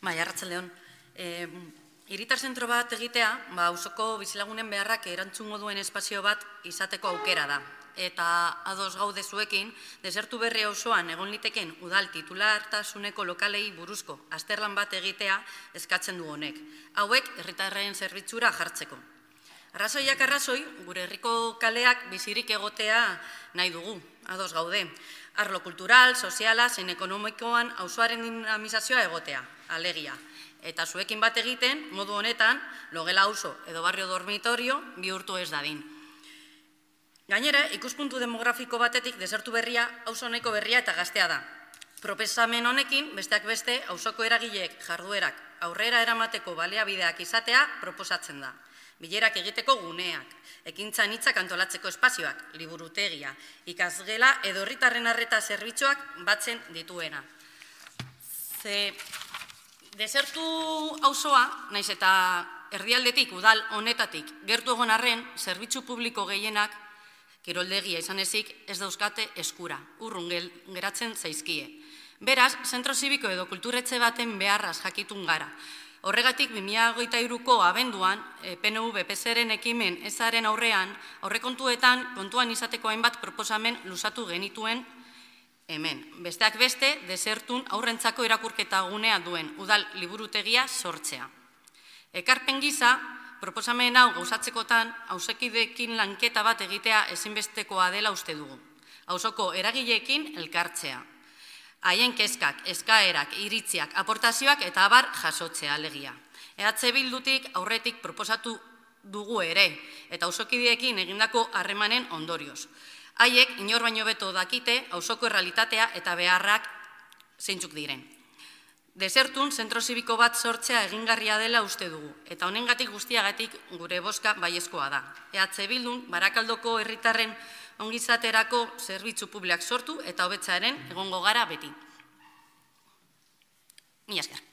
Bai, arratsaldeon. Hiritar zentro bat egitea, auzoko bizilagunen beharrak erantzungo duen espazio bat izateko aukera da. Eta ados gaude zuekin, desertu berri auzoan egon liteken udal titulartasuneko lokalei buruzko azterlan bat egitea eskatzen du honek. Hauek herritarren zerbitzura jartzeko. Arrazoiak arrazoi, gure herriko kaleak bizirik egotea nahi dugu, ados gaude. Arlo kultural, soziala, zein ekonomikoan auzoaren dinamizazioa egotea, alegia. Eta zuekin bat egiten, modu honetan, logela auzo edo barrio dormitorio bihurtu ez dadin. Gainera, ikuspuntu demografiko batetik desertu berria, auzo honeko berria eta gaztea da. Proposamen honekin, besteak beste, auzoko eragileek jarduerak aurrera eramateko baliabideak izatea proposatzen da. Bilerak egiteko guneak, ekintza anitzak antolatzeko espazioak, liburutegia, ikasgela edo herritarren arreta zerbitzuak batzen dituena. Desertu auzoa, naiz eta herrialdetik, udal honetatik, gertu egon arren, zerbitzu publiko gehienak, kiroldegia izan ezik, ez dauzkate eskura, urrun geratzen zaizkie. Beraz, zentro zibiko edo kulturetxe baten beharraz jakitun gara. Horregatik, 2023ko abenduan, PNV-PSeren ekimen ezaren aurrean, aurrekontuetan kontuan izateko hainbat proposamen luzatu genituen hemen. Besteak beste, desertun aurrentzako irakurketa gunea duen udal liburutegia sortzea. Ekarpen gisa, proposamen hau gauzatzekotan, auzokideekin lanketa bat egitea ezinbestekoa dela uste dugu. Auzoko eragileekin elkartzea. Haien kezkak, eskaerak, iritziak, aportazioak eta abar jasotzea alegia. EH Bildutik aurretik proposatu dugu ere, eta auzokideekin egindako harremanen ondorioz. Haiek inor baino beto dakite auzoko errealitatea eta beharrak zeintzuk diren. Desertun zentro zibiko bat sortzea egingarria dela uste dugu, eta honengatik guztiagatik gure bozka baiezkoa da. EH Bildun Barakaldoko herritarren ongizaterako zerbitzu publiak sortu eta hobetzearen egongo gara beti. Mila esker.